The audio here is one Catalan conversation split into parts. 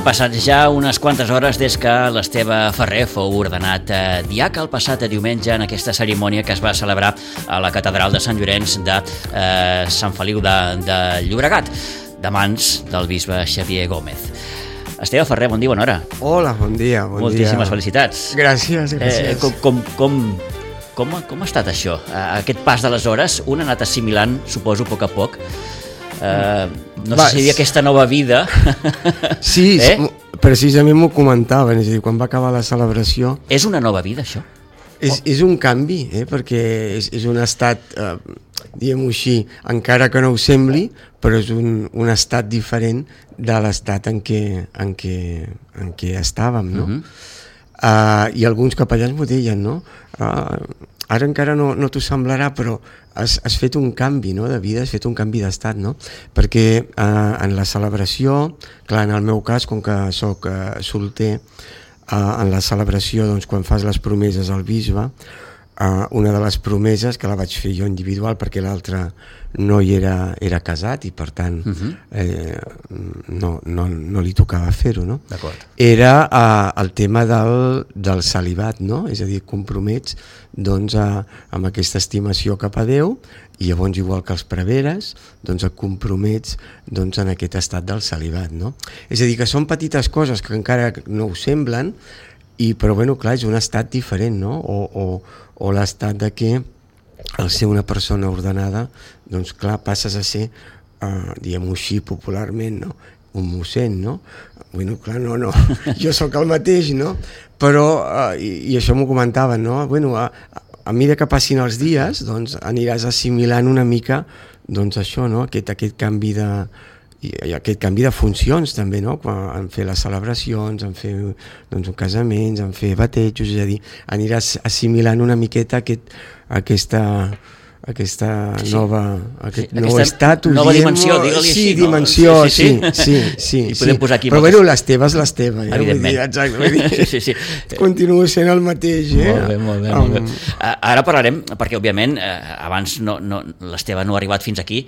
passat ja unes quantes hores des que l'Esteve Ferrer fou ordenat diaca el passat diumenge en aquesta cerimònia que es va celebrar a la catedral de Sant Llorenç de Sant Feliu de Llobregat, de mans del bisbe Xavier Gómez. Esteve Ferrer, bon dia, bona hora. Hola, bon dia. Moltíssimes felicitats. Gràcies. Com ha estat això? Aquest pas de les hores, un ha anat assimilant, suposo, a poc a poc. No sé si hi havia aquesta nova vida. Sí, precisament m'ho comentaven, és a dir, quan va acabar la celebració... És una nova vida, això? És un canvi, perquè és un estat, diguem-ho així, encara que no ho sembli, però és un estat diferent de l'estat en què estàvem, no? I alguns capellans m'ho deien, no? Ara encara no t'ho semblarà, però has fet un canvi, no, de vida, has fet un canvi d'estat, no? Perquè en la celebració, clar, en el meu cas, com que soc solter, en la celebració, doncs, quan fas les promeses al bisbe, una de les promeses, que la vaig fer jo individual perquè l'altre no hi era casat i per tant no li tocava fer-ho, no? Era el tema del celibat, no? És a dir, compromets doncs, amb aquesta estimació cap a Déu i llavors, igual que els preveres, doncs et compromets doncs, en aquest estat del celibat, no? És a dir, que són petites coses que encara no ho semblen, però bueno, clar, és un estat diferent, no? O l'estat de que al ser una persona ordenada, doncs clar, passes a ser, diguem-ho així popularment, no? Un mossèn, no? Bueno, clar, no, jo sóc el mateix, no? Però, i això m'ho comentaven, no? Bueno, a mesura que passin els dies, doncs aniràs assimilant una mica, doncs això, no? Aquest canvi de funcions també, no? En fer les celebracions, en fer doncs, casaments, en fer batejos, és a dir, aniràs assimilant una miqueta aquest nou estatus, nova dimensió, digue-li així. Sí, dimensió, sí. I podem posar aquí... Però bueno, l'Esteve és l'Esteve. Evidentment. Exacte, sí. Continuo sent el mateix. Molt bé. Ara parlarem, perquè òbviament abans l'Esteve no ha arribat fins aquí.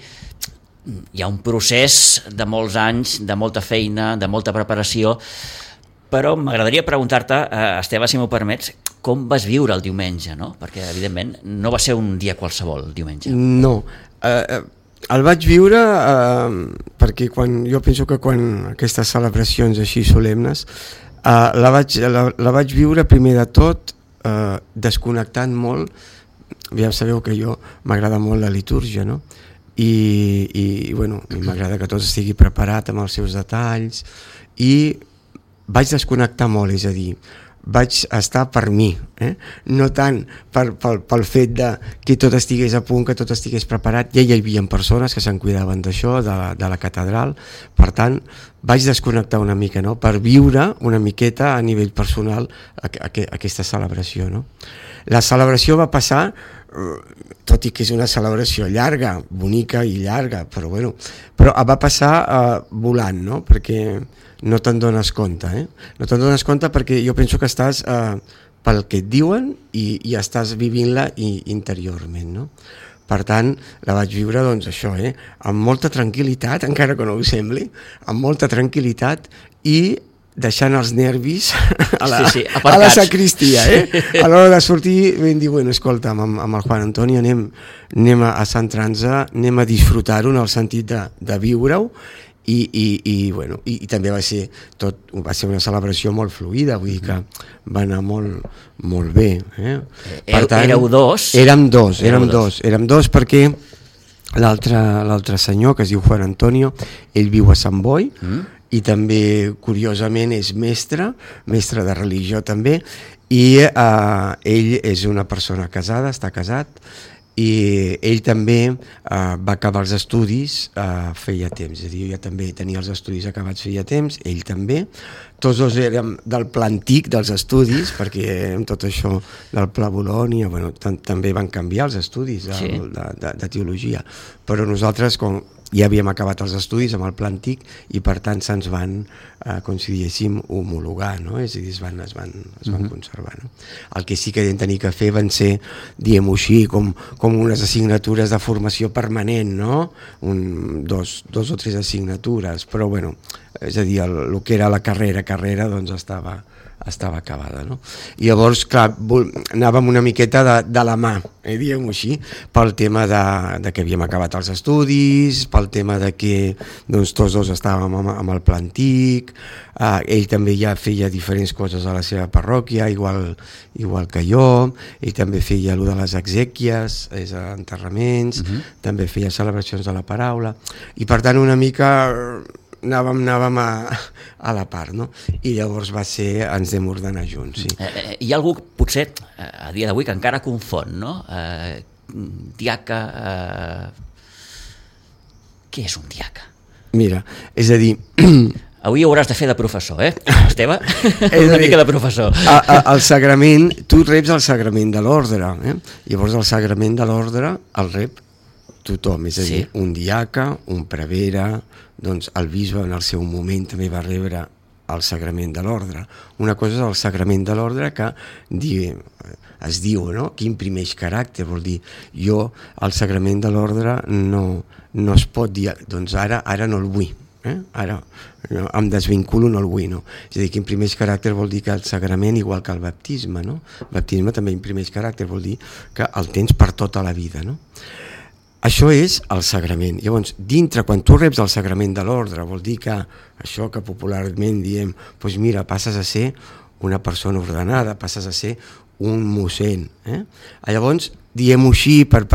Hi ha un procés de molts anys, de molta feina, de molta preparació, però m'agradaria preguntar-te, Esteve, si m'ho permets, com vas viure el diumenge, no? Perquè, evidentment, no va ser un dia qualsevol, el diumenge. No, el vaig viure perquè jo penso que quan aquestes celebracions així solemnes, la vaig viure primer de tot desconnectant molt. Ja sabeu que jo m'agrada molt la litúrgia, no? I bueno, m'agrada que tot estigui preparat amb els seus detalls i vaig desconnectar molt, és a dir, vaig estar per mi, no tant pel fet de que tot estigués a punt, que tot estigués preparat. Ja hi havia persones que se'n cuidaven d'això, de la catedral, per tant vaig desconnectar una mica, no? Per viure una miqueta a nivell personal aquesta celebració, no? La celebració va passar, tot i que és una celebració llarga, bonica i llarga, però va passar volant, no? Perquè no te'n dones compte, No te'n dones compte perquè jo penso que estàs pel que et diuen i estàs vivint-la interiorment, no? Per tant, la vaig viure, doncs, això, amb molta tranquil·litat, encara que no ho sembli, amb molta tranquil·litat i deixant els nervis a la sacristia, A l'hora de sortir vam dir, bueno, escolta'm, amb el Juan Antonio anem a centrar-nos, anem a disfrutar-ho en el sentit de viure-ho i també va ser una celebració molt fluida, vull dir que va anar molt bé. Per tant, éreu dos? Érem dos perquè l'altre senyor, que es diu Juan Antonio, ell viu a Sant Boi, i també, curiosament, és mestre de religió també, i ell és una persona casada, està casat, i ell també va acabar els estudis feia temps, és a dir, jo ja també tenia els estudis acabats feia temps, ell també, tots dos érem del pla antic dels estudis, perquè amb tot això del Pla Bolònia, també van canviar els estudis de teologia, però nosaltres, com ja havíem acabat els estudis amb el pla antic i per tant se'ns van, com si diguéssim, homologar, no? És a dir, es van conservar. No? El que sí que vam tenir que fer van ser, diguem-ho així, com unes assignatures de formació permanent, no? Dos o tres assignatures, però bueno, és a dir, el que era la carrera doncs estava acabada, no? I llavors, clar, anàvem una miqueta de la mà, diguem-ho així, pel tema de que havíem acabat els estudis, pel tema de que doncs, tots dos estàvem amb el pla antic, ell també ja feia diferents coses a la seva parròquia, igual que jo, ell també feia allò de les exèquies, enterraments, també feia celebracions de la paraula, i per tant una mica anàvem a la part, no? I llavors ens vam ordenar junts, sí. Hi ha algú, potser, a dia d'avui, que encara confon, no? Diaca... Què és un diaca? Mira, és a dir... Avui hauràs de fer de professor, Esteve? Una mica de professor. El sagrament, tu reps el sagrament de l'ordre, llavors el sagrament de l'ordre el rep tothom, és a dir, un diaca, un prevere, doncs el bisbe en el seu moment també va rebre el sagrament de l'ordre. Una cosa és el sagrament de l'ordre que es diu, no? Que imprimeix caràcter, vol dir, jo el sagrament de l'ordre no es pot dir, doncs ara no el vull, ara no, em desvinculo, no el vull, no? És a dir, que imprimeix caràcter vol dir que el sagrament, igual que el baptisme, no? El baptisme també imprimeix caràcter, vol dir que el tens per tota la vida, no? Això és el sagrament. Llavors, dintre, quan tu reps el sagrament de l'ordre, vol dir que això que popularment diem, doncs mira, passes a ser una persona ordenada, passes a ser un mossèn. Llavors, diem-ho així, per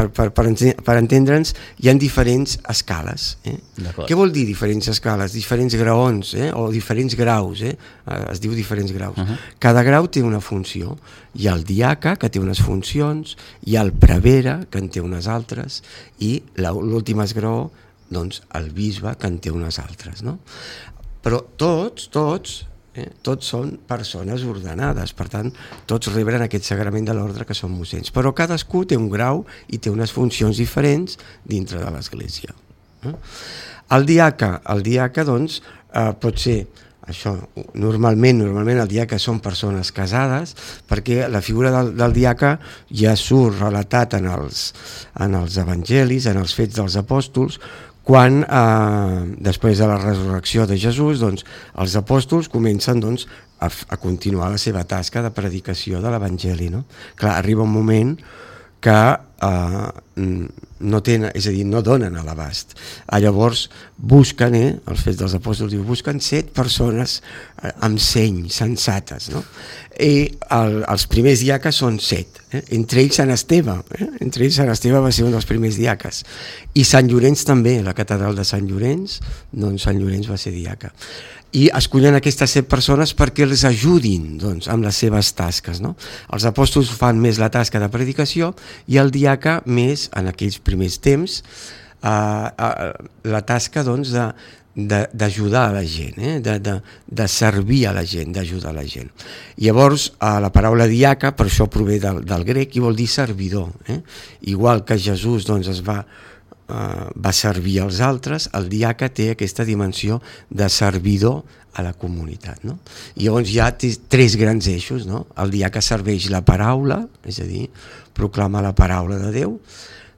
entendre'ns, hi ha diferents escales. Què vol dir diferents escales? Diferents graons, o diferents graus. Es diu diferents graus. Cada grau té una funció. Hi ha el diaca, que té unes funcions, hi ha el prevere, que en té unes altres, i l'últim esgraó, doncs, el bisbe, que en té unes altres. No? Però tots són persones ordenades, per tant, tots reben aquest sagrament de l'ordre que són mossens, però cadascú té un grau i té unes funcions diferents dintre de l'Església. El diaca, doncs, pot ser això, normalment el diaca són persones casades, perquè la figura del diaca ja surt relatat en els evangelis, en els fets dels apòstols, quan després de la resurrecció de Jesús, doncs, els apòstols comencen doncs, a continuar la seva tasca de predicació de l'Evangeli. No? Clar, arriba un moment que no tenen, és a dir, no donen a l'abast. Llavors busquen, els fets dels apòstols diu, busquen 7 persones amb seny, sensates, no? I els primers diaques són 7, entre ells Sant Esteve, entre ells Sant Esteve va ser un dels primers diaques, i Sant Llorenç també, la catedral de Sant Llorenç, doncs Sant Llorenç va ser diaca. I escollen aquestes 7 persones perquè els ajudin doncs, amb les seves tasques. No? Els apòstols fan més la tasca de predicació i el diaca més, en aquells primers temps, la tasca doncs, d'ajudar a la gent, de servir a la gent, d'ajudar a la gent. Llavors, la paraula diaca, per això prové del grec, i vol dir servidor. Igual que Jesús doncs, va servir als altres, el diaca té aquesta dimensió de servidor a la comunitat. No? I llavors hi ha 3 grans eixos. No? El diaca serveix la paraula, és a dir, proclama la paraula de Déu,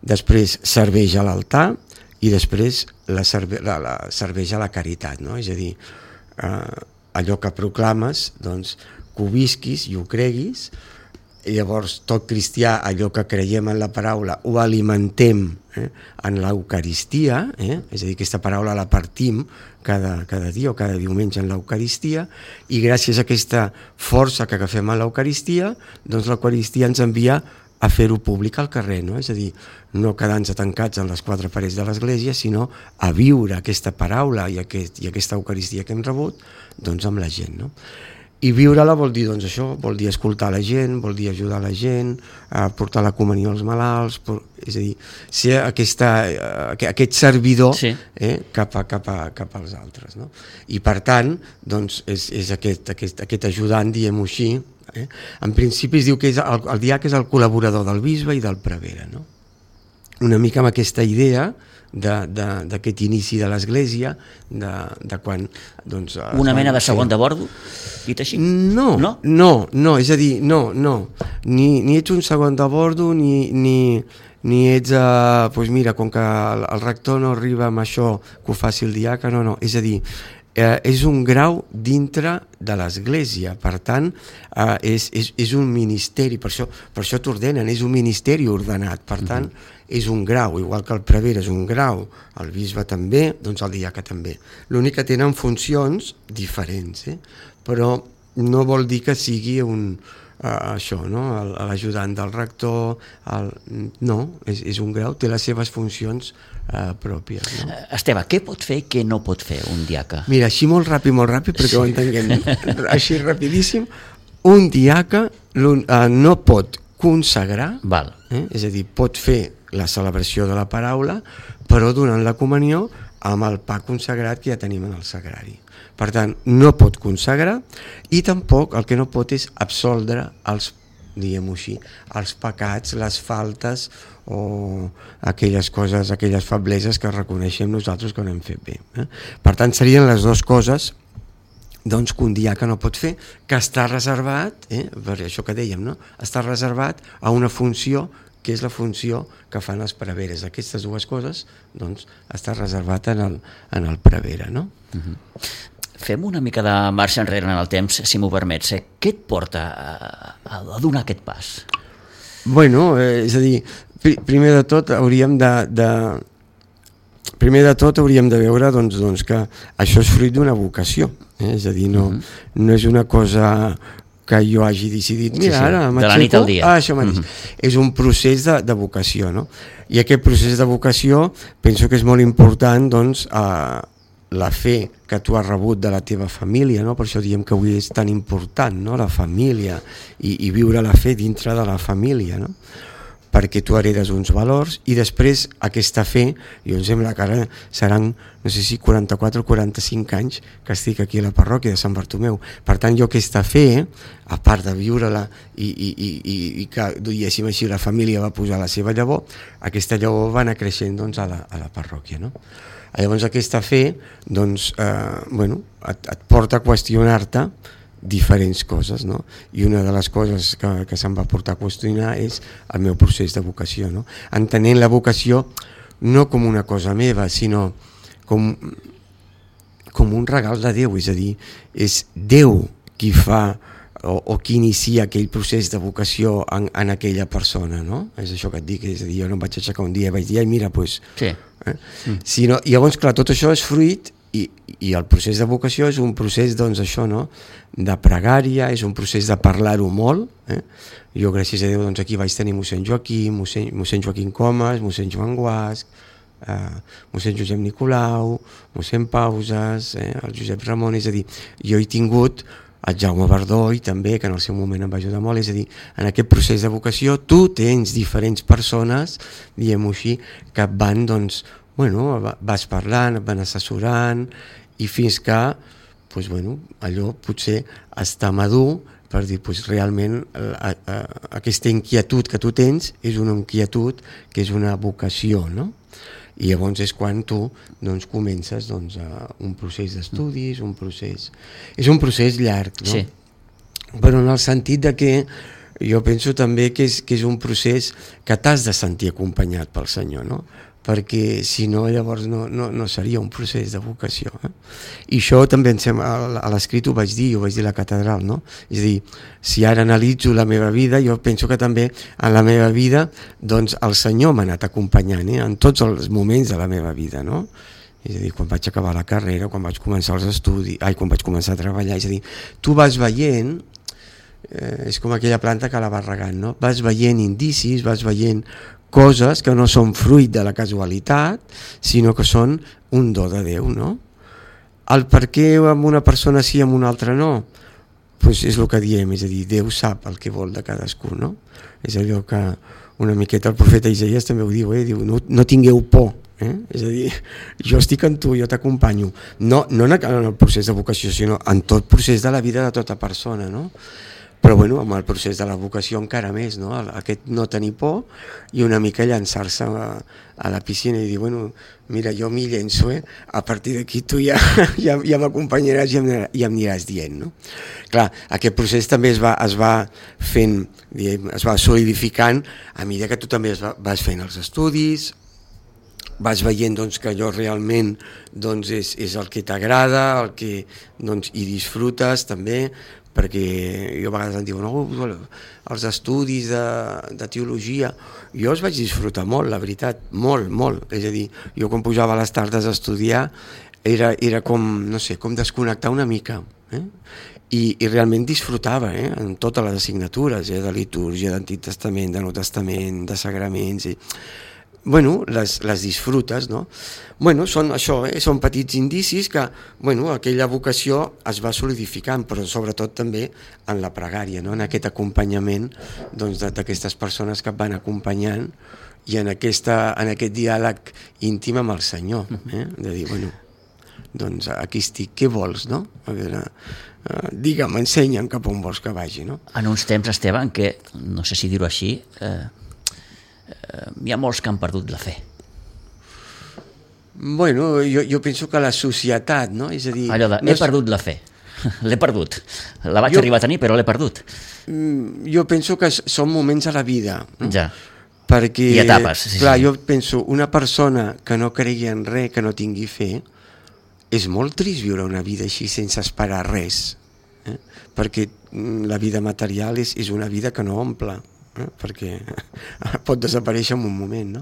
després serveix a l'altar i després serveix a la caritat. No? És a dir, allò que proclames, doncs, que ho visquis i ho creguis, i llavors tot cristià, allò que creiem en la paraula, ho alimentem en l'Eucaristia, és a dir, aquesta paraula la partim cada dia o cada diumenge en l'Eucaristia, i gràcies a aquesta força que agafem en l'Eucaristia, doncs l'Eucaristia ens envia a fer-ho públic al carrer, no? És a dir, no quedar-nos tancats en les 4 parets de l'Església, sinó a viure aquesta paraula i aquesta Eucaristia que hem rebut doncs amb la gent, no? I viure-la vol dir doncs això, vol dir escoltar la gent, vol dir ajudar la gent, portar la comunió als malalts, és a dir, ser aquest servidor cap als altres. No? I per tant, doncs, és aquest ajudant, diguem-ho així. En principi es diu que el diaca és el col·laborador del bisbe i del prevere. No? una mica amb aquesta idea d'aquest inici de l'Església, de quan... Doncs, una mena de segon de bordo, dit així? No, és a dir, no. Ni ets un segon de bordo, ni ets, doncs mira, com que el rector no arriba amb això, que ho faci el diaca, no. És a dir, és un grau dintre de l'Església, per tant, és un ministeri, per això t'ordenen, és un ministeri ordenat, per tant, és un grau, igual que el prevere és un grau, el bisbe també, doncs el diaca també. L'únic que tenen funcions diferents, però no vol dir que sigui això, no? L'ajudant del rector, no, és un grau, té les seves funcions pròpies. No? Esteve, què pot fer i què no pot fer un diaca? Mira, així molt ràpid, perquè ho entenguem, així rapidíssim, un diaca no pot consagrar, és a dir, pot fer la celebració de la paraula, però donant la comunió amb el pa consagrat que ja tenim en el sagrari. Per tant, no pot consagrar i tampoc el que no pot és absoldre els, diguem-ho així, els pecats, les faltes o aquelles coses, aquelles febleses que reconeixem nosaltres que no hem fet bé. Per tant, serien les dues coses doncs, que un diaca no pot fer, que està reservat, per això que dèiem, no? Està reservat a una funció que és la funció que fan els preveres. Aquestes dues coses doncs, està reservat en el prevere. No? Fem una mica de marxa enrere en el temps, si m'ho permets. Què et porta a donar aquest pas? Bueno, és a dir, primer de tot hauríem de veure doncs, que això és fruit d'una vocació. És a dir, no és una cosa que jo hagi decidit, mira, ara de la nit al dia. Això mateix. És un procés de vocació, no? I aquest procés de vocació penso que és molt important, doncs, la fe que tu has rebut de la teva família, no? Per això diem que avui és tan important, no? La família i viure la fe dintre de la família, no? Perquè tu heredes uns valors i després aquesta fe, jo em sembla que ara seran, no sé si 44 o 45 anys que estic aquí a la parròquia de Sant Bartomeu. Per tant, jo aquesta fe, a part de viure-la i que, diguéssim així, la família va posar la seva llavor, aquesta llavor va anar creixent doncs, a la parròquia. No? Llavors aquesta fe doncs, et porta a qüestionar-te diferents coses, no? I una de les coses que se'm va portar a qüestionar és el meu procés de vocació, no? Entenent la vocació no com una cosa meva, sinó com un regal de Déu, és a dir, és Déu qui fa o qui inicia aquell procés de vocació en aquella persona, no? És això que et dic, és a dir, jo no em vaig aixecar un dia i vaig dir, ai mira, doncs... Sí. Sinó, llavors, clar, tot això és fruit i el procés de vocació és un procés, doncs, això, no?, de pregària, és un procés de parlar-ho molt. Jo, gràcies a Déu, doncs, aquí vaig tenir mossèn Joaquim, mossèn Joaquim Comas, mossèn Joan Guasc, mossèn Josep Nicolau, mossèn Pauses, el Josep Ramon, és a dir, jo he tingut el Jaume Verdoi també, que en el seu moment em va ajudar molt, és a dir, en aquest procés de vocació tu tens diferents persones, diguem-ho així, que van, doncs, vas parlant, et van assessorant i fins que allò potser està madur per dir realment aquesta inquietud que tu tens és una inquietud que és una vocació, no? I llavors és quan tu comences un procés d'estudis, és un procés llarg, no? Sí. Però en el sentit de que jo penso també que és un procés que t'has de sentir acompanyat pel Senyor, no? Perquè si no llavors no seria un procés de vocació. I això també a l'escrit ho vaig dir a la catedral, no? És a dir, si ara analitzo la meva vida, jo penso que també en la meva vida doncs el Senyor m'ha anat acompanyant en tots els moments de la meva vida, no? És a dir, quan vaig acabar la carrera, quan vaig començar els estudis, quan vaig començar a treballar, és a dir, tu vas veient, és com aquella planta que la vas regant, no? Vas veient indicis, vas veient coses que no són fruit de la casualitat, sinó que són un do de Déu, no? El per què amb una persona sí i amb una altra no? Doncs és el que diem, és a dir, Déu sap el que vol de cadascú, no? És allò que una miqueta el profeta Isaías també ho diu, diu no tingueu por, és a dir, jo estic amb tu, jo t'acompanyo, no en el procés de vocació, sinó en tot procés de la vida de tota persona, no? Però bueno, amb el procés de la vocació encara més, no? Aquest no tenir por i una mica llançar-se a la piscina i dir, bueno, mira, jo m'hi llenço, a partir d'aquí tu ja m'acompanyaràs i em aniràs dient, no? Clar, aquest procés també es va fent, es va solidificant a mesura que tu també vas fent els estudis, vas veient doncs, que allò realment doncs, és el que t'agrada, el que doncs, hi disfrutes també, perquè jo a vegades em diuen els estudis de teologia, jo els vaig disfrutar molt, la veritat, molt, molt, és a dir, jo quan pujava a les tardes a estudiar era com, no sé, com desconnectar una mica, i realment disfrutava en totes les assignatures, de litúrgia, d'Antic Testament, de Nou Testament, de sagraments, bueno, les disfrutes, no? Bueno, són això, són petits indicis que, bueno, aquella vocació es va solidificant, però sobretot també en la pregària, no? En aquest acompanyament doncs, d'aquestes persones que et van acompanyant i en aquest diàleg íntim amb el Senyor, de dir, bueno, doncs aquí estic, què vols, no? A veure, digue'm, ensenya'm cap on vols que vagi, no? En uns temps, Esteve, en què, no sé si dir-ho així, hi ha molts que han perdut la fe. Bueno, jo penso que la societat, no? És a dir... Allò de, he perdut la fe, l'he perdut. La vaig arribar a tenir, però l'he perdut. Jo penso que són moments a la vida. Ja. Perquè, i etapes. Sí, clar, sí. Jo penso, una persona que no cregui en res, que no tingui fe, és molt trist viure una vida així sense esperar res. Perquè la vida material és una vida que no omple. Perquè pot desaparèixer en un moment, no?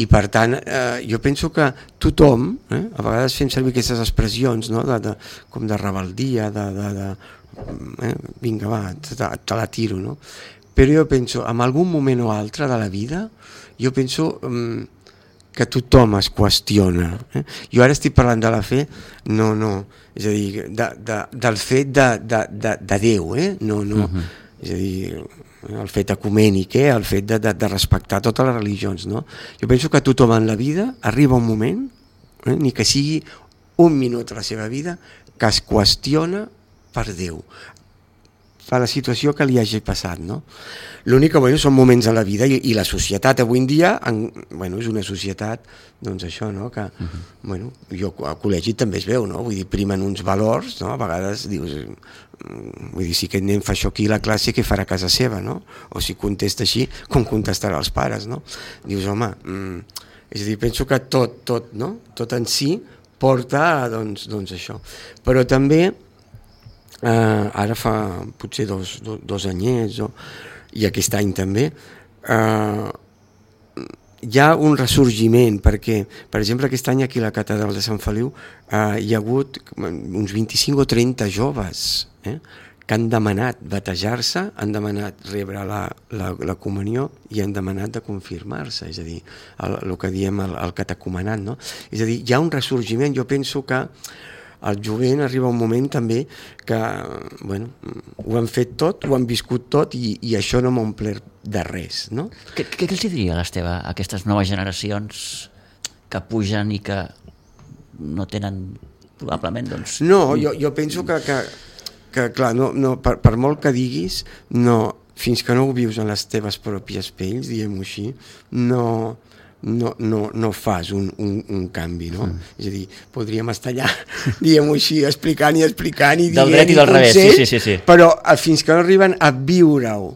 I per tant, jo penso que tothom, a vegades fem servir aquestes expressions, no? Com de rebeldia, vinga, va, te la tiro, no? Però jo penso, en algun moment o altre de la vida, jo penso que tothom es qüestiona. Jo ara estic parlant de la fe, no, és a dir, del fet de Déu, no, és a dir, el fet ecumènic, el fet de respectar totes les religions, no? Jo penso que tothom en la vida arriba un moment, ni que sigui un minut de la seva vida, que es qüestiona per Déu, per la situació que li hagi passat, no? L'únic que són moments a la vida i la societat avui en dia, és una societat, doncs això, no? Que, jo al col·legi també es veu, no? Vull dir, primen uns valors, no? A vegades dius, vull dir, si aquest nen fa això aquí a la classe, què farà a casa seva, no? O si contesta així, com contestarà als pares, no? Dius, home, és a dir, penso que tot, no? Tot en si porta, doncs això. Però també, ara fa potser dos anyets, i aquest any també, hi ha un ressorgiment, perquè, per exemple, aquest any aquí a la catedral de Sant Feliu hi ha hagut uns 25 o 30 joves que han demanat batejar-se, han demanat rebre la comunió i han demanat de confirmar-se, és a dir, el que diem el catecumenat, no? És a dir, hi ha un ressorgiment. Jo penso que el jovent arriba un moment també que, ho han fet tot, ho han viscut tot i això no m'ha omplert de res, no? Què els diria, l'Esteve, a aquestes noves generacions que pugen i que no tenen, probablement, doncs... No, jo penso que clar, per molt que diguis, fins que no ho vius en les teves pròpies pells, diguem-ho així, no fas un canvi, no? És a dir, podríem estar allà, diguem-ho així, explicant i dient del dret i del revés, sí. Però fins que no arriben a viure-ho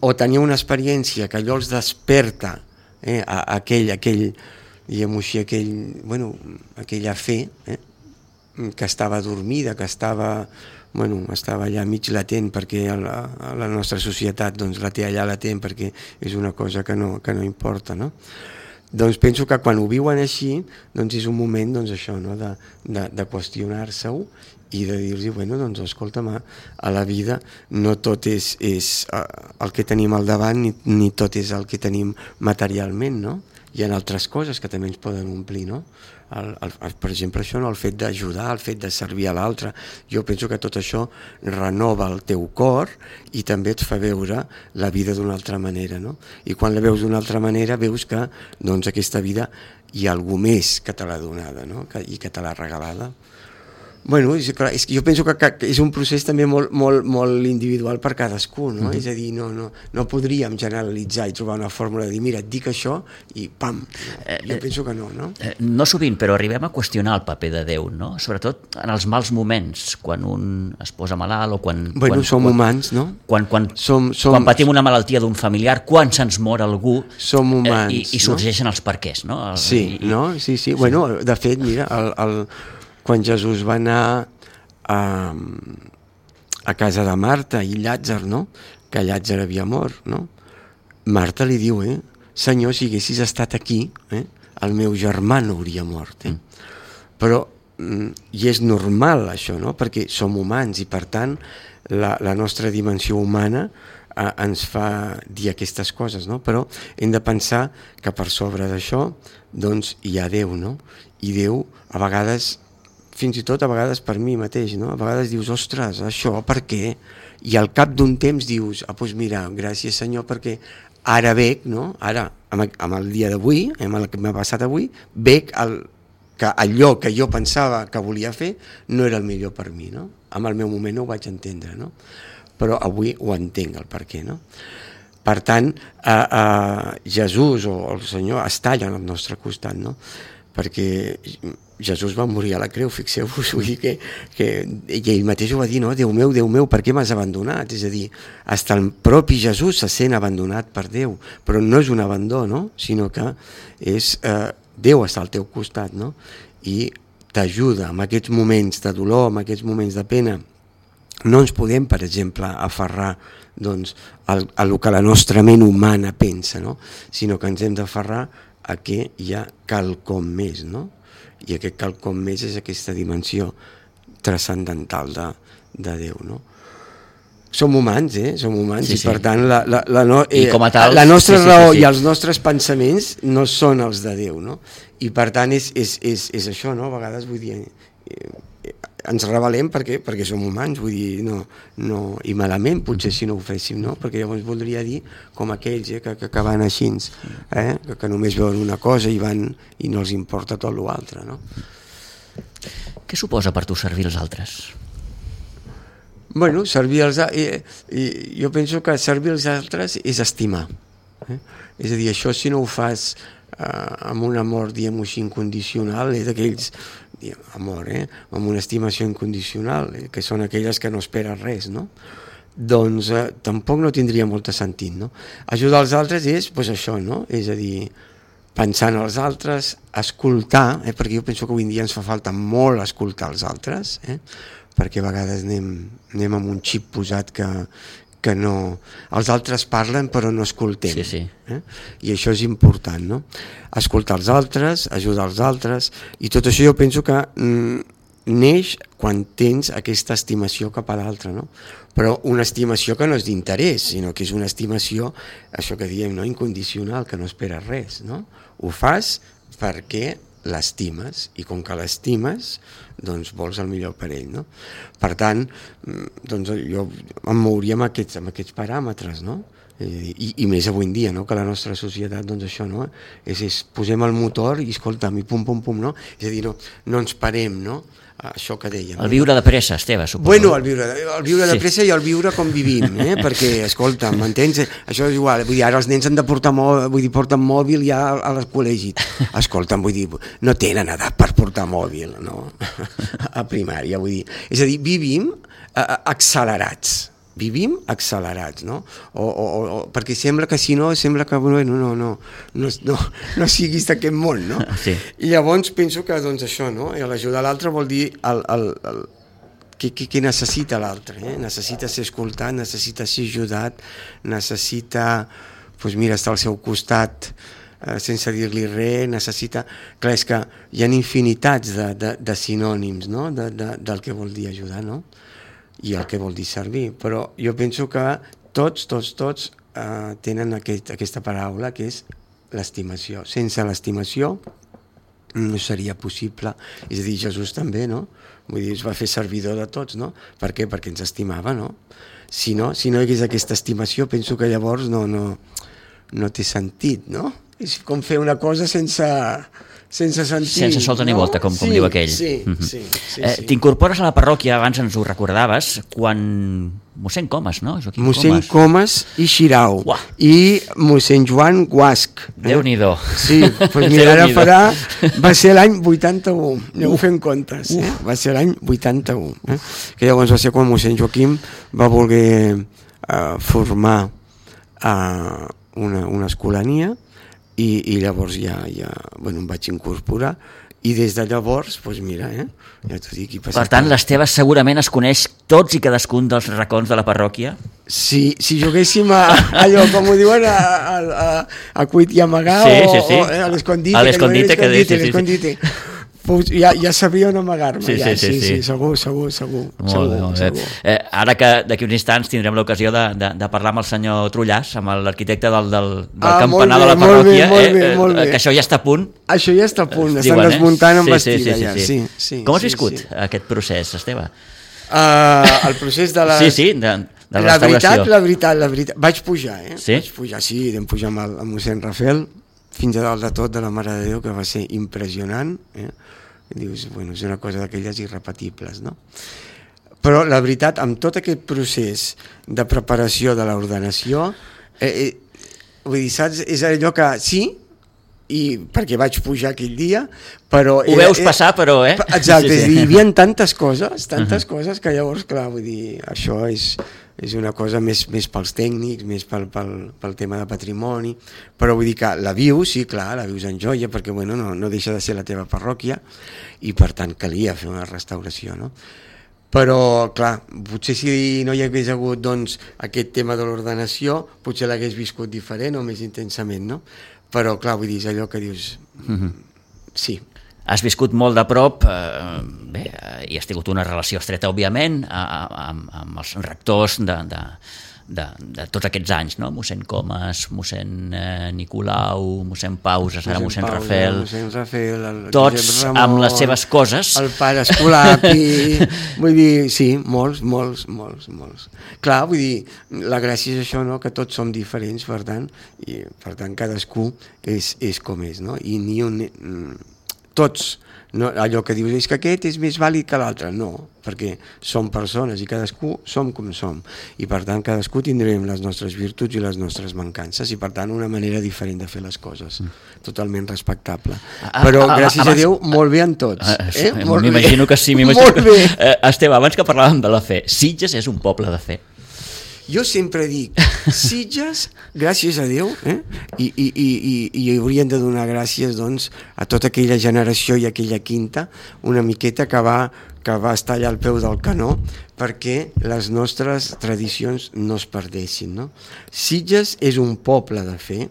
o tenir una experiència que allò els desperta aquell diguem-ho així, aquella fe que estava dormida, que estava allà mig latent, perquè la nostra societat doncs, la té allà latent perquè és una cosa que no importa, no? Doncs penso que quan ho viuen així doncs és un moment això, no? de qüestionar-se-ho i de dir-los, doncs escolta'm, a la vida no tot és el que tenim al davant ni tot és el que tenim materialment, no? Hi ha altres coses que també ens poden omplir, no? Per exemple, això, no? El fet d'ajudar, el fet de servir a l'altre. Jo penso que tot això renova el teu cor i també et fa veure la vida d'una altra manera, no? I quan la veus d'una altra manera veus que aquesta vida hi ha algú més que te l'ha donada, no? I que te l'ha regalada. Bueno, és que jo penso que és un procés també molt individual per cadascú, no? És a dir, no podríem generalitzar i trobar una fórmula de dir, mira, et dic això i pam. Jo penso que no, no? No sovint, però arribem a qüestionar el paper de Déu, no? Sobretot en els mals moments, quan un es posa malalt o quan... Bueno, som humans, no? Quan patim una malaltia d'un familiar, quan se'ns mor algú... Som humans, i sorgeixen els perquès, no? Sí, no? Sí. Bueno, de fet, mira, quan Jesús va anar a casa de Marta i Llàtzer, no? Que Llàtzer havia mort, no? Marta li diu, Senyor, si haguessis estat aquí, el meu germà no hauria mort. Però, i és normal això, no? Perquè som humans i per tant la nostra dimensió humana ens fa dir aquestes coses, no? Però hem de pensar que per sobre d'això doncs hi ha Déu, no? I Déu a vegades, fins i tot a vegades per mi mateix, no? A vegades dius, ostres, això per què? I al cap d'un temps dius, doncs mira, gràcies Senyor perquè ara veig, no? Ara, amb el dia d'avui, amb el que m'ha passat avui, veig que allò que jo pensava que volia fer no era el millor per mi, no? En el meu moment no ho vaig entendre, no? Però avui ho entenc el per què, no? Per tant, Jesús o el Senyor està allà al nostre costat, no? Perquè Jesús va morir a la creu, fixeu-vos, vull dir que ell mateix ho va dir, no? Déu meu, per què m'has abandonat? És a dir, fins el propi Jesús se sent abandonat per Déu, però no és un abandó, no? Sinó que és Déu està al teu costat, no? I t'ajuda en aquests moments de dolor, en aquests moments de pena. No ens podem, per exemple, aferrar doncs, a el que la nostra ment humana pensa, no? Sinó que ens hem d'aferrar a que hi ha quelcom més, no? I aquest quelcom més és aquesta dimensió transcendental de Déu, no? Som humans, Som humans, sí. I per tant la nostra raó i els nostres pensaments no són els de Déu, no? I per tant és això, no? A vegades vull dir... ens rebel·lem perquè som humans, vull dir, no, i malament potser si no ho féssim, no? Perquè llavors voldria dir com aquells que van així, que només veuen una cosa i no els importa tot l'altre, no? Què suposa per tu servir els altres? Bueno, servir els altres, jo penso que servir els altres és estimar. És a dir, això si no ho fas amb un amor, diguem-ho així, incondicional, és d'aquells amor, amb una estimació incondicional, que són aquelles que no esperen res, no? Doncs tampoc no tindria molt sentit, no? Ajudar els altres és doncs això, no? És a dir, pensar en els altres, escoltar, perquè jo penso que avui en dia ens fa falta molt escoltar els altres, perquè a vegades anem amb un xip posat que no... Els altres parlen però no escoltem. Sí. I això és important, no? Escoltar els altres, ajudar els altres, i tot això jo penso que neix quan tens aquesta estimació cap a l'altre, no? Però una estimació que no és d'interès, sinó que és una estimació, això que diem, no? Incondicional, que no esperes res, no? Ho fas perquè l'estimes, i com que l'estimes, doncs vols el millor per ell, no? Per tant, doncs jo em mouria amb aquests paràmetres, no? I més avui en dia, no? Que la nostra societat, doncs això, no? És posem el motor i escolta'm, i pum, no? És a dir, no ens parem, no? Això que dèiem. El viure de pressa, Esteve, suposo. Bueno, el viure de pressa i el viure com vivim, perquè, escolta'm, m'entens? Això és igual, vull dir, ara els nens han de portar porten mòbil ja al col·legi. Escolta'm, vull dir, no tenen edat per portar mòbil, no? A primària, vull dir. És a dir, vivim accelerats, no? Perquè sembla que si no, sembla que no siguis d'aquest món, no? Sí. I llavors penso que doncs això, no? L'ajudar l'altre vol dir què necessita l'altre, necessita ser escoltat, necessita ser ajudat, necessita, doncs mira, estar al seu costat sense dir-li res, necessita... Clar, és que hi ha infinitats de sinònims, no? Del que vol dir ajudar, no? I el que vol dir servir, però jo penso que tots tenen aquesta paraula que és l'estimació. Sense l'estimació no seria possible, és a dir, Jesús també, no? Vull dir, es va fer servidor de tots, no? Per què? Perquè ens estimava, no? Si no hi hagués aquesta estimació, penso que llavors no té sentit, no? És com fer una cosa sense sense sentir. Sense solta ni volta, com diu aquell. Sí. T'incorpores a la parròquia, abans ens ho recordaves, quan mossèn Comas, no? Mossèn Comas i Xirau. Uah. I mossèn Joan Guasc. Déu-n'hi-do. Sí, doncs mira, ara farà... Va ser l'any 81, aneu fent comptes. Va ser l'any 81. Que llavors va ser quan mossèn Joaquim va voler formar una escolania i llavors ja em vaig incorporar i des de llavors, doncs mira, ja t'ho dic. Per tant, l'Esteve segurament es coneix tots i cadascun dels racons de la parròquia? Si juguéssim allò, com ho diuen, a cuit i amagar, o a l'escondite. A l'escondite. Ja sabia on amagar-me. Sí, segur. Molt bé. Ara que d'aquí uns instants tindrem l'ocasió de parlar amb el senyor Trullàs, amb l'arquitecte del campanar de la parròquia, molt bé. Que això ja està a punt. Això ja està a punt, estan desmuntant amb bastida ja. Com has viscut aquest procés, Esteve? El procés de la... Sí, de restauració. La veritat. Vaig pujar, Sí? Vam pujar amb el mossèn Rafael, fins a dalt de tot, de la Mare de Déu, que va ser impressionant. Dius, és una cosa d'aquelles irrepetibles, no? Però la veritat, amb tot aquest procés de preparació de l'ordenació, vull dir, saps, és allò que sí, i perquè vaig pujar aquell dia, però... Ho veus passar, però, Exacte, és dir, hi havia tantes coses que llavors, clar, vull dir, això és una cosa més pels tècnics, més pel tema de patrimoni, però vull dir que la vius, sí, clar, la vius en joia, perquè no deixa de ser la teva parròquia, i per tant calia fer una restauració, no? Però, clar, potser si no hi hagués hagut aquest tema de l'ordenació, potser l'hagués viscut diferent o més intensament, no? Però, clar, vull dir, és allò que dius... Sí. Has viscut molt de prop, i has tingut una relació estreta, òbviament, amb els rectors de tots aquests anys, no? Mossèn Comas, mossèn Nicolau, mossèn Pausa, ara mossèn Rafael, tots Ramon, amb les seves coses. El pare Escolapi, vull dir, sí, molts. Clar, vull dir, la gràcia és això, no?, que tots som diferents, per tant cadascú és com és, no? I ni un... Tots, no, allò que dius és que aquest és més vàlid que l'altre, no, perquè som persones i cadascú som com som, i per tant cadascú tindrem les nostres virtuts i les nostres mancances, i per tant una manera diferent de fer les coses, totalment respectable, però gràcies a Déu molt bé en tots. M'imagino que sí, molt bé. Esteve, abans que parlàvem de la fe, Sitges és un poble de fe. Jo sempre dic, Sitges, gràcies a Déu, i haurien de donar gràcies a tota aquella generació i aquella quinta, una miqueta que va estar allà al peu del canó perquè les nostres tradicions no es perdessin, no? Sitges és un poble de fe,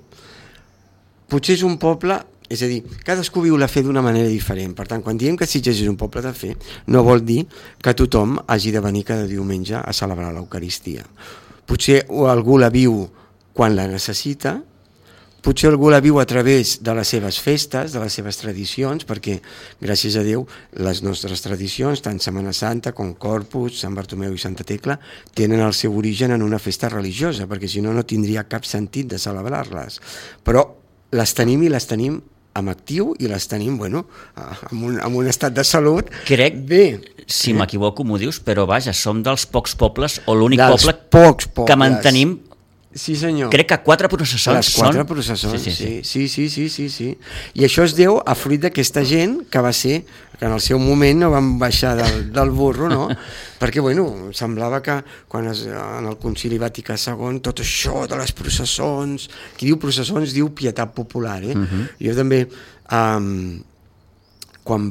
potser és un poble... És a dir, cadascú viu la fe d'una manera diferent. Per tant, quan diem que Sitges és un poble de fe, no vol dir que tothom hagi de venir cada diumenge a celebrar l'Eucaristia. Potser algú la viu quan la necessita, potser algú la viu a través de les seves festes, de les seves tradicions, perquè, gràcies a Déu, les nostres tradicions, tant Setmana Santa com Corpus, Sant Bartomeu i Santa Tecla, tenen el seu origen en una festa religiosa, perquè si no, no tindria cap sentit de celebrar-les. Però les tenim amb actiu i les tenim, amb un estat de salut. Crec, si m'equivoco m'ho dius, però vaja, som dels pocs pobles, o l'únic poble que mantenim. Sí, senyor. Crec que 4 processons les 4 processons, sí. I això es deu a fruit d'aquesta gent que va ser, que en el seu moment no van baixar del burro, no? Perquè, semblava que quan en el Concili Vaticà II tot això de les processons, qui diu processons diu pietat popular, Jo també, quan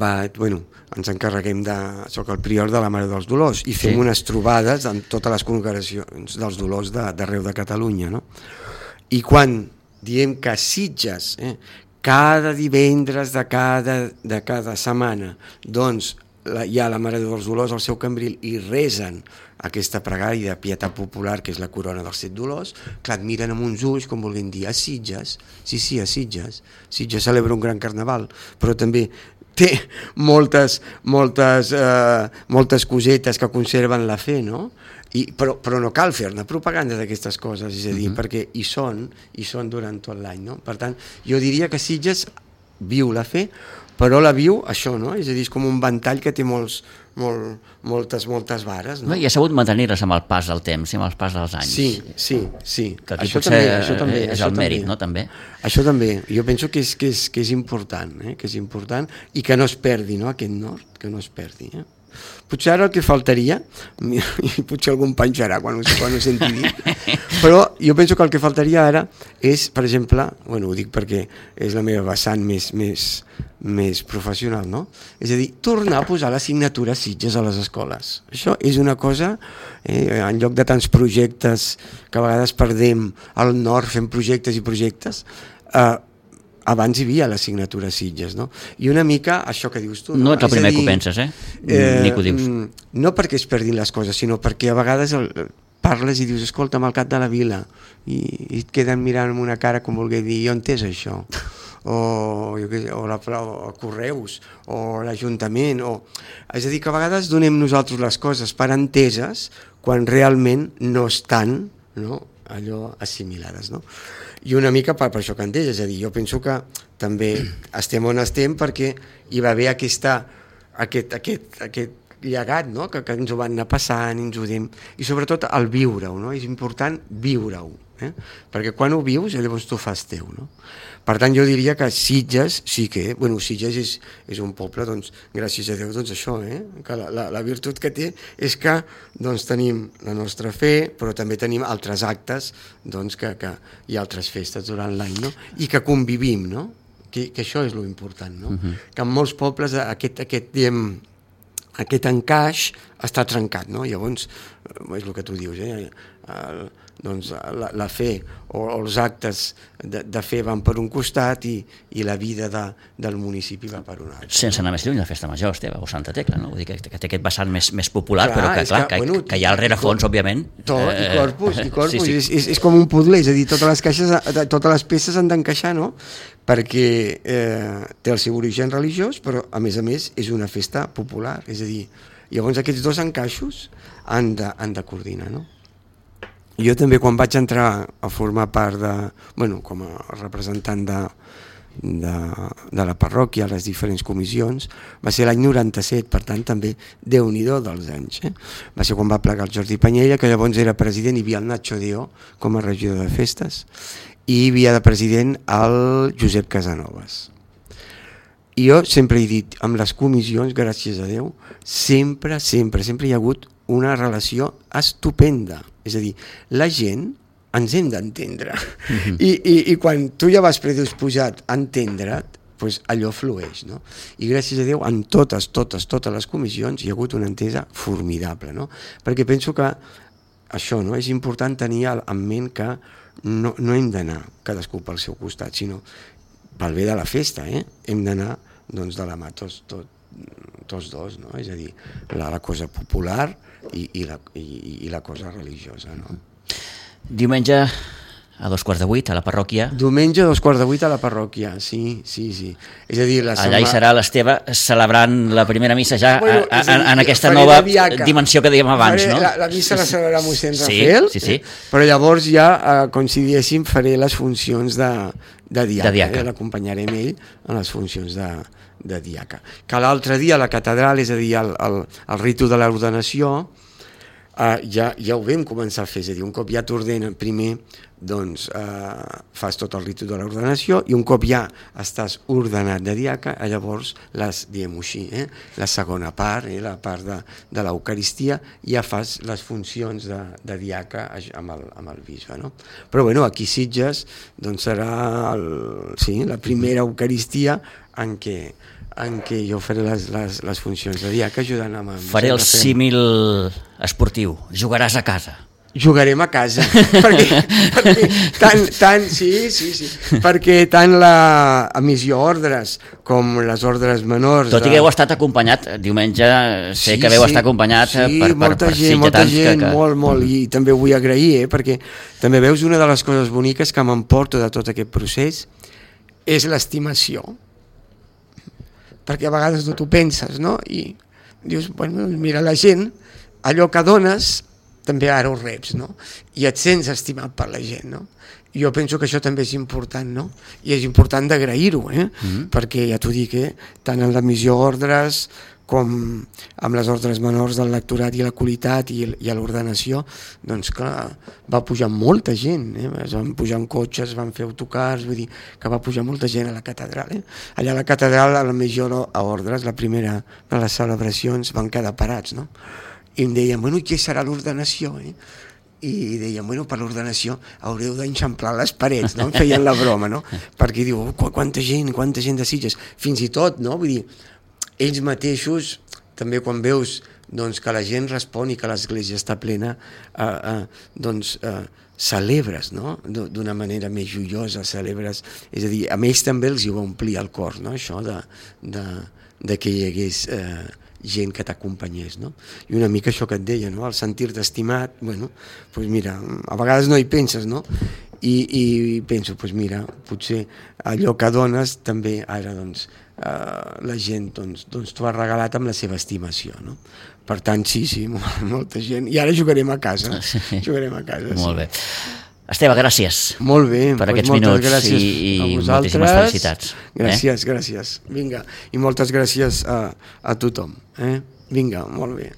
ens encarreguem soc el prior de la Mare dels Dolors i fem unes trobades en totes les congregacions dels Dolors d'arreu de Catalunya, no? I quan diem que Sitges, cada divendres de cada setmana, hi ha la Mare dels Dolors al seu cambril i resen aquesta pregària de pietat popular, que és la corona dels 7 dolors, clar, et miren amb uns ulls com volent dir, a Sitges, sí, a Sitges celebra un gran carnaval, però també té moltes cosetes que conserven la fe, no? Però no cal fer-ne propaganda d'aquestes coses, és a dir, perquè hi són durant tot l'any, no? Per tant, jo diria que Sitges viu la fe, però la viu això, no? És a dir, és com un ventall que té moltes vares, no? I ha sabut mantenir-les amb el pas del temps i amb el pas dels anys. Sí. Que aquí això també és el mèrit, no? També. Això també. Jo penso que és important, que és important i que no es perdi, no? Aquest nord, que no es perdi, Potser ara el que faltaria, i potser algú em penjarà quan ho senti dir, però jo penso que el que faltaria ara és, per exemple, ho dic perquè és la meva vessant més professional, no? És a dir, tornar a posar l'assignatura Sitges a les escoles. Això és una cosa, en lloc de tants projectes que a vegades perdem al nord fent projectes i projectes, abans hi havia l'assignatura Sitges, no? I una mica això que dius tu. No ets el primer que ho penses, ni que ho dius. No perquè es perdin les coses, sinó perquè a vegades parles i dius, escolta'm, al cap de la vila, i et queden mirant amb una cara com volgué dir, jo entès això, o Correus, o l'Ajuntament, és a dir, que a vegades donem nosaltres les coses per enteses quan realment no estan, no, allò assimilades, no? I una mica per això que entès, és a dir, jo penso que també estem on estem perquè hi va haver aquest llegat, no? que ens ho van anar passant i sobretot el viure-ho, no? És important viure-ho, perquè quan ho vius llavors t'ho fas teu, no? Per tant jo diria que Sitges sí que, Sitges és un poble, doncs gràcies a Déu, doncs això, que la virtut que té és que doncs tenim la nostra fe, però també tenim altres actes, doncs que hi ha altres festes durant l'any, no? I que convivim, no? Que això és lo important, no? Que en molts pobles aquest encaix està trencat, no? Llavors, és el que tu dius, doncs la fe o els actes de fe van per un costat i la vida del municipi va per un altre. Sense anar més lluny, la festa major, Esteve, o Santa Tecla, no? Vull dir que té aquest vessant més popular, però que hi ha al rerefons, òbviament. Tot, i corpus. Sí. És com un puzzle, és a dir, totes les peces han d'encaixar, no? Perquè té el seu origen religiós, però a més és una festa popular, és a dir, llavors aquests dos encaixos han de coordinar, no? Jo també quan vaig entrar a formar part com a representant de la parròquia a les diferents comissions, va ser l'any 97, per tant també Déu-n'hi-do dels anys. Va ser quan va plegar el Jordi Panyella, que llavors era president, hi havia el Nacho Dio com a regidor de festes, i hi havia de president el Josep Casanovas. I jo sempre he dit, amb les comissions, gràcies a Déu, sempre hi ha hagut una relació estupenda. És a dir, la gent ens hem d'entendre. I quan tu ja vas predisposat a entendre't, doncs allò flueix, no? I gràcies a Déu, en totes les comissions hi ha hagut una entesa formidable, no? Perquè penso que això, no? És important tenir en ment que no hem d'anar cadascú pel seu costat, sinó pel bé de la festa, hem d'anar doncs, de la mà tots dos, no? És a dir, la cosa popular i la cosa religiosa, no? Diumenge a 7:45 a la parròquia. Diumenge a 7:45 a la parròquia, sí. És a dir, allà hi serà l'Esteve celebrant la primera missa ja en aquesta nova dimensió que dèiem abans, no? La missa la celebrarà mossèn Rafel, sí. Però llavors ja, com si diguéssim, faré les funcions de diaca. L'acompanyarem ell en les funcions de diaca. Que l'altre dia a la catedral, és a dir, el ritu de l'ordenació, ja ho vam començar a fer, és a dir, un cop ja t'ordenen primer, doncs fas tot el ritu de l'ordenació i un cop ja estàs ordenat de diaca, llavors diguem-ho així, la segona part, la part de l'Eucaristia, ja fas les funcions de diaca amb el bisbe, no? Però bueno, aquí a Sitges doncs serà la primera Eucaristia en què jo faré les funcions de diaca ajudant amb... Faré el símil esportiu, jugaràs a casa. Jugarem a casa, perquè tant la emissió ordres com les ordres menors... Tot i que heu estat acompanyat, diumenge sé que veu estar acompanyat per molta gent, molt, i també ho vull agrair, perquè també veus una de les coses boniques que m'emporto de tot aquest procés és l'estimació, perquè a vegades no t'ho penses, no? I dius, bueno, mira, la gent, allò que dones també ara ho reps, no? I et sents estimat per la gent, no? Jo penso que això també és important, no? I és important d'agrair-ho, perquè ja t'ho dic, tant en l'emissió d'ordres com amb les ordres menors del lectorat i la qualitat i a l'ordenació, doncs clar, va pujar molta gent, es van pujar en cotxes, van fer autocars, vull dir que va pujar molta gent a la catedral. Allà a la catedral, a l'emissió a ordres, la primera de les celebracions, van quedar parats, no? I em deien, bueno, què serà l'ordenació, i deien, bueno, per l'ordenació haureu d'enxamplar les parets, no? Em feien la broma, no? Perquè diu, quanta gent de Sitges, fins i tot, no? Vull dir, ells mateixos, també quan veus doncs, que la gent respon i que l'església està plena, doncs celebres, no? D'una manera més joiosa, celebres, és a dir, a ells també els hi va omplir el cor, no? Això de que hi hagués gent que t'acompanyés, no? I una mica això que et deia, no? El sentir-te estimat, bueno, doncs mira, a vegades no hi penses, no? I penso, doncs mira, potser allò que dones també ara, doncs, la gent doncs t'ho ha regalat amb la seva estimació, no? Per tant, sí, molta gent. I ara jugarem a casa. Jugarem a casa. Molt bé. Esteve, gràcies. Molt bé. Per aquests minuts i moltíssimes felicitats. Gràcies. Vinga, i moltes gràcies a tothom. Vinga, molt bé.